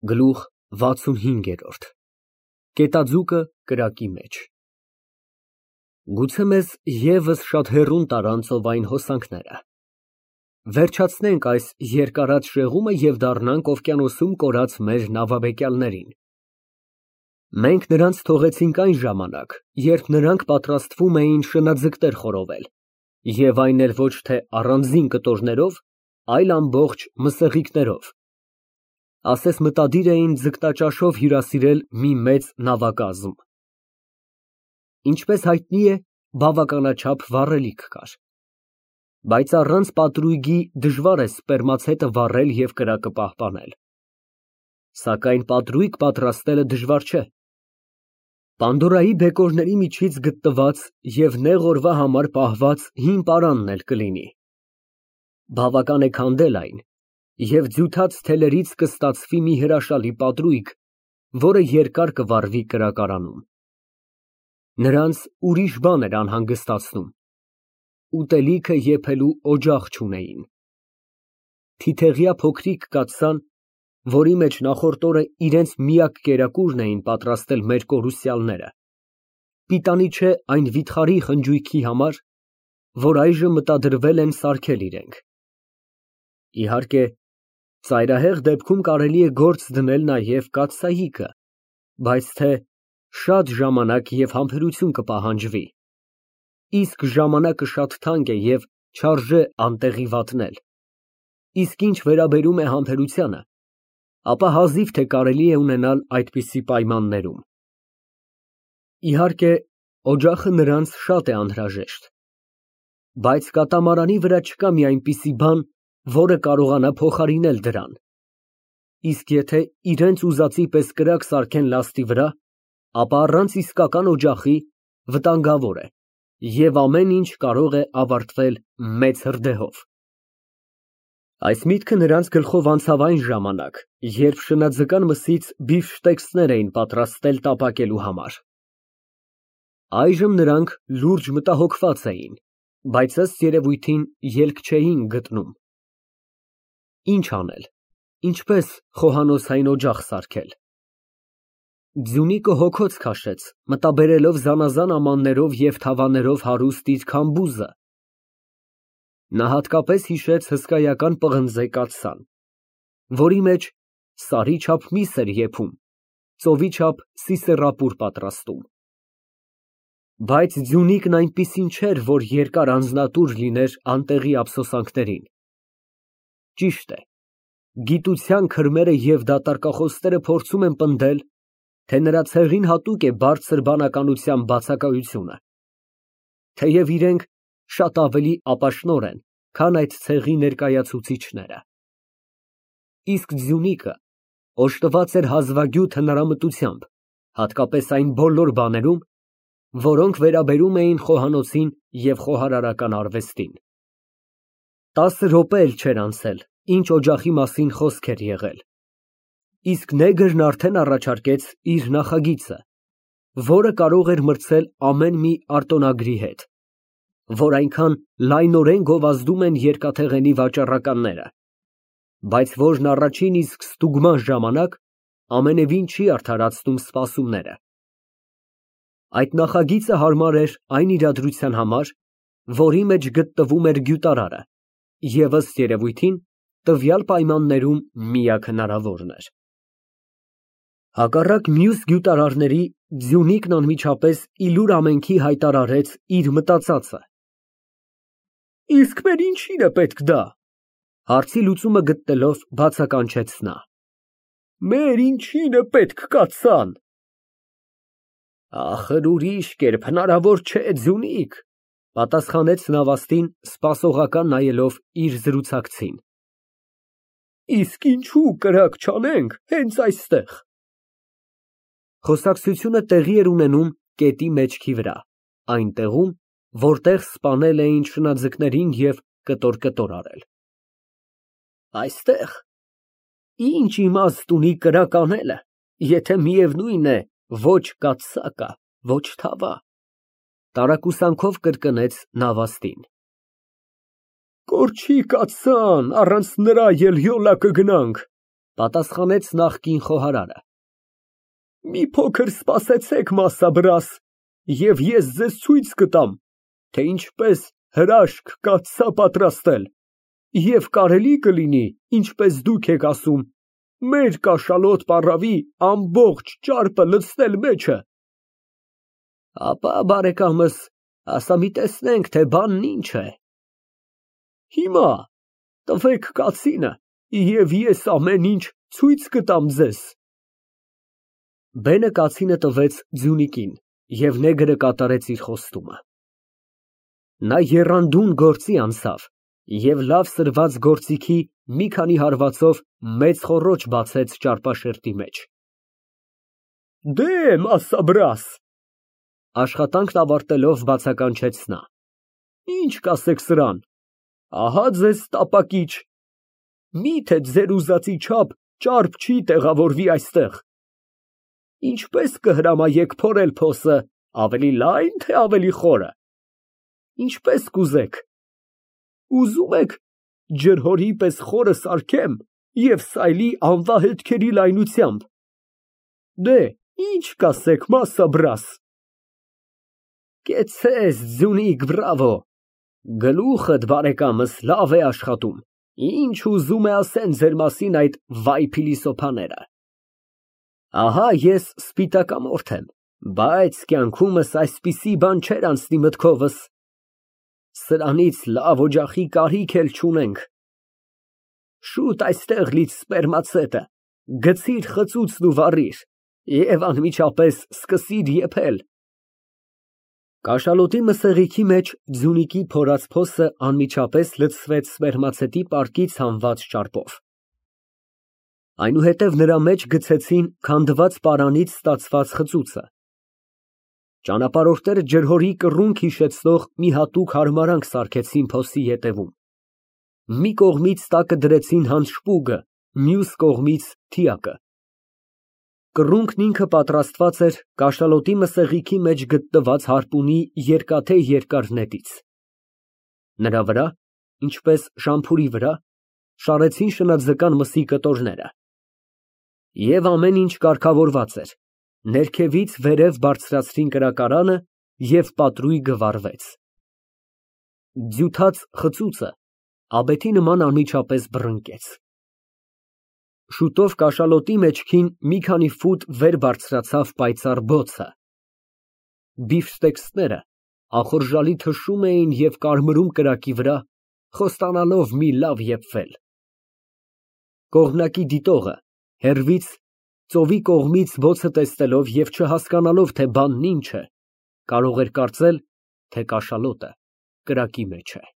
Գլուխ 65 Կետաձուկը կրակի մեջ։ Գուցե մեզ ևս շատ հեռուն տարան ծովային հոսանքները։ Վերջացնենք այս երկարած շեղումը և դառնանք օվկիանոսում կորած մեր նավաբեկյալներին։ Մենք նրանց թողեցինք այն ժամանակ, երբ նրանք պատրաստվում էին շնաձկներ խորովել, և այն էլ ոչ թե առանձին կտորներով, այլ ամբողջ մսեղիկներով, ասես մտադիր էին ձկնաճաշով հյուրասիրել մի մեծ նավակազմ։ Ինչպես հայտնի է, բավականաչափ վառելիք կար, բայց առանց պատրույգի դժվար է սպերմացետը վառել և կրակը պահպանել, սակայն պատրույգ պատրաստելը դժվար չէ։ Պանդորայի բեկորների միջից գտնված և նեղ օրվա համար պահված հին պարանն էլ կլինի։ Բավական է քանդել այն, և ձյութաց թելերից կստացվի մի հրաշալի պատրույգ, որը երկար կվառվի կրակարանում։ Նրանց ուրիշ բան էր անհանգստացնում. ուտելիքը եփելու օջախ չունեին։ Թիթեղյա փոքրիկ կաթսան, որի մեջ նախորդ օրը իրենց միակ կերակուրն էին պատրաստել մեր կորուսյալները, պիտանի չէ այն վիթխարի խնջույքի համար, որ այժմ մտադրվել են սարքել իրենք։ Իհարկե, ծայրահեղ դեպքում կարելի է գործ դնել նաև կաթսայիկը, բայց թե շատ ժամանակ և համբերություն կպահանջվի, իսկ ժամանակը շատ թանկ է և չարժե անտեղի վատնել, իսկ ինչ վերաբերում է համբերությանը, ապա հազիվ թե կարելի է ունենալ այդպիսի պայմաններում։ Իհարկե, օջախը նրանց շատ է անհրաժեշտ, բայց կատամարանի վրա չկա մի այնպիսի բան, որը կարողանա փոխարինել դրան, իսկ եթե իրենց ուզածի պես կրակ սարքեն լաստի վրա, ապա առանց իսկական օջախի վտանգավոր է և ամեն ինչ կարող է ավարտվել մեծ հրդեհով։ Այս միտքը նրանց գլխով անցավ այն ժամանակ, երբ շնաձկան մսից բիֆշտեքսներ էին պատրաստել տապակելու համար։ Այժմ նրանք լուրջ մտահոգված էին, բայց ըստ երևույթին ելք չէին գտնում։ Ինչ անել, ինչպես խոհանոցային օջախ սարքել։ Ձյունիկը հոգոց քաշեց, մտաբերելով զանազան ամաններով և թավաներով հարուստ իր քամբուզը։ Նա հատկապես հիշեց հսկայական պղնձե կաթսան, որի մեջ սարի չափ միս էր եփում, ծովի չափ սիսեռապուր պատրաստում։ Բայց Ձյունիկն այնպիսին չէր, որ երկար անձնատուր լիներ անտեղի ափսոսանքներին։ Ճիշտ է, գիտության քրմերը և դատարկախոսները փորձում են պնդել, թե նրա ցեղին հատուկ է բարձր բանականության բացակայությունը, թեև իրենք շատ ավելի ապաշնորհ են, քան այդ ցեղի ներկայացուցիչները։ Իսկ Ձյունիկը օժտված էր հազվագյուտ հնարամտությամբ, հատկապես այն բոլոր բաներում, որոնք վերաբերում էին խոհանոցին և խոհարարական արվեստին։ 10 րոպե էլ չէր անցել, ինչ օջախի մասին խոսք էր եղել, իսկ նեգրն արդեն առաջարկեց իր նախագիծը, որը կարող էր մրցել ամեն մի արտոնագրի հետ, որ այնքան լայնորեն գովազդում են երկաթեղենի վաճառականները, բայց որն առաջին իսկ ստուգման ժամանակ ամենևին չի արդարացնում սպասումները։ Այդ նախագիծը հարմար էր այն իրադրության համար, որի մեջ գտնվում էր գյուտարարը, և ըստ երևույթին, տվյալ պայմաններում միակ հնարավորն էր։ Հակառակ մյուս գյուտարարների, Ձյունիկն անմիջապես ի լուր ամենքի հայտարարեց իր մտածածը։ Իսկ մեր ինչի՞ն է պետք դա, հարցի լուծումը գտնելով բացականչեց նա։ Մեր ինչի՞ն է պետք կաթսան։ Ախր ուրիշ կերպ հնարավոր չէ, Ձյունիկ, պատասխանեց նավաստին, սպասողական նայելով իր զրուցակցին։ Իսկ ինչու կրակ չանենք հենց այստեղ։ Խոսակցությունը տեղի էր ունենում կետի մեջքի վրա, այն տեղում, որտեղ սպանել էին շնաձկներին և կտոր արել։ Այստեղ։ Ինչ իմաստ ունի կրակ անելը, եթե միևնույն է ոչ կաթսա կա, ոչ թավա, տարակուսանքով կրկնեց նավաստին։ Կորչի կաթսան, առանց նրա էլ յոլա կգնանք, Պատասխանեց նախկին խոհարարը։ Մի փոքր սպասեցեք, մասաբրաս, և ես ձեզ ցույց կտամ, թե ինչպես հրաշք կաթսա պատրաստել, և կարելի կլինի, ինչպես դուք եք ասում, մեր կաշալոտ պառավի ամբողջ ճարպը լցնել մեջը։ Ապա, բարեկամս, ասա մի տեսնենք, թե բանն ինչ է։ Հիմա տվեք կացինը, և ես ամեն ինչ ցույց կտամ ձեզ։ Բենը կացինը տվեց ձյունիկին, և նեգրը կատարեց իր խոստումը։ Նա եռանդուն գործի անցավ և լավ սրված գործիքի մի քանի հարվածով մեծ խոռոչ բացեց ճարպաշերտի մեջ։ Դե, մասաբրաս, աշխատանքն ավարտելով բացականչեց նա, ինչ կասեք սրան, ահա ձեզ տապակիչ, միթե ձեր ուզածի չափ ճարպ չի տեղավորվի այստեղ։ Ինչպես կհրամայեք փորել փոսը, ավելի լա՞յն, թե ավելի խորը, ինչպես կուզեք, ուզում եք ջրհորի պես խորը սարքեմ և սայլի անվա հետքերի լայնությամբ, դե, ինչ կասեք, մասաբրաս։ Կեցցես, ձյունիկ, բրավո, գլուխդ, բարեկամս, լավ է աշխատում, ինչ ուզում է ասեն ձեր մասին այդ վայ փիլիսոփաները։ Ահա ես սպիտակամորթ եմ, բայց կյանքումս այսպիսի բան չէր անցնի մտքովս, սրանից լավ օջախի կարիք էլ չունենք։ Շուտ այստեղ լից սպերմացետը, գցիր խծուծն ու վառիր և անմիջապես սկսիր եփել։ Կաշալոտի մսեղիքի մեջ ձյունիկի փորած փոսը անմիջապես լցվեց սպերմացետի պարկից հանված ճարպով։ Այնուհետև նրա մեջ գցեցին քանդված պարանից ստացված խծուծը։ Ճանապարհորդները ջրհորի կռունկ հիշեցնող մի հատուկ հարմարանք սարքեցին փոսի ետևում։ Մի կողմից տակը դրեցին հանշպուգը, մյուս կողմից թիակը։ Կռունկն ինքը պատրաստված էր կաշալոտի մսեղիքի մեջ գտնված հարպունի երկաթե երկար նետից։ Նրա վրա, ինչպես շամփուրի վրա, շարեցին շնաձկան մսի կտորները։ Եվ ամեն ինչ կարգավորված էր, ներքևից վերև բարձրացրին կրակարանը և պատրույգը վառվեց։ Ձյութաց խծուծը աբեթի նման անմիջապես բռնկեց։ Շուտով կաշալոտի մեջքին մի քանի ֆուտ վեր բարձրացավ պայծառ բոցը։ Բիֆստեքսները ախորժալի թշում էին և կարմրում կրակի վրա, խոստանալով մի լավ եփվել։ Կողմնակի դիտողը հեռվից ծովի կողմից բոցը տեսնելով և չհասկանալով, թե բանն ինչ է, կարող էր կարծել, թե կաշալոտը կրակի մեջ է։